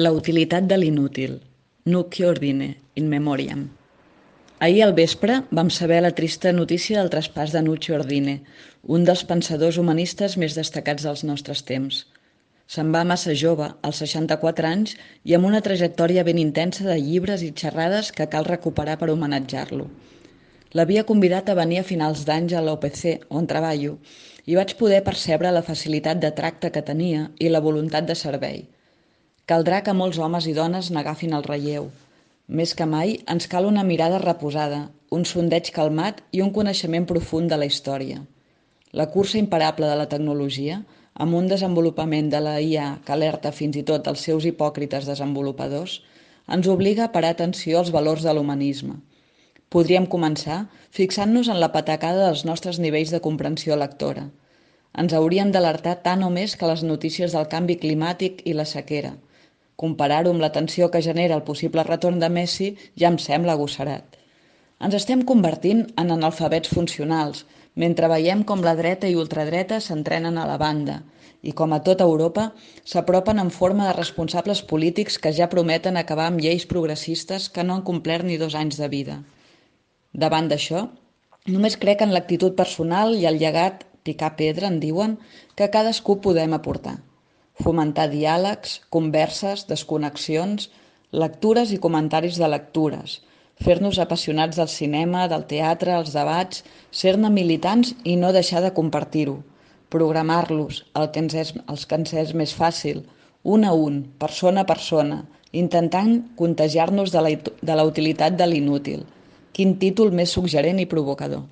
La utilitat de l'inútil. Nunc ordine, in memoriam. Ahir al vespre vam saber la trista notícia del traspàs de Nuccio Ordine, un dels pensadors humanistes més destacats dels nostres temps. Se'n va massa jove, als 64 anys, i amb una trajectòria ben intensa de llibres i xerrades que cal recuperar per homenatjar-lo. L'havia convidat a venir a finals d'anys a l'OPC, on treballo, i vaig poder percebre la facilitat de tracte que tenia i la voluntat de servei. Caldrà que molts homes i dones n'agafin el relleu. Més que mai ens cal una mirada reposada, un sondeig calmat i un coneixement profund de la història. La cursa imparable de la tecnologia, amb un desenvolupament de la IA que alerta fins i tot els seus hipòcrites desenvolupadors, ens obliga a parar atenció als valors de l'humanisme. Podríem començar fixant-nos en la patacada dels nostres nivells de comprensió lectora. Ens haurien d'alertar tant o més que les notícies del canvi climàtic i la sequera. Comparar-ho amb la tensió que genera el possible retorn de Messi ja em sembla agosserat. Ens estem convertint en analfabets funcionals, mentre veiem com la dreta i ultradreta s'entrenen a la banda i, com a tota Europa, s'apropen en forma de responsables polítics que ja prometen acabar amb lleis progressistes que no han complert ni 2 anys de vida. Davant d'això, només crec en l'actitud personal i el llegat, picar pedra, en diuen, que cadascú podem aportar. Fomentar diàlegs, converses, desconnexions, lectures i comentaris de lectures, fer-nos apassionats del cinema, del teatre, els debats, ser-ne militants i no deixar de compartir-ho, programar-los, els que ens és més fàcil, un a un, persona a persona, intentant contagiar-nos de la utilitat de l'inútil. Quin títol més suggerent i provocador.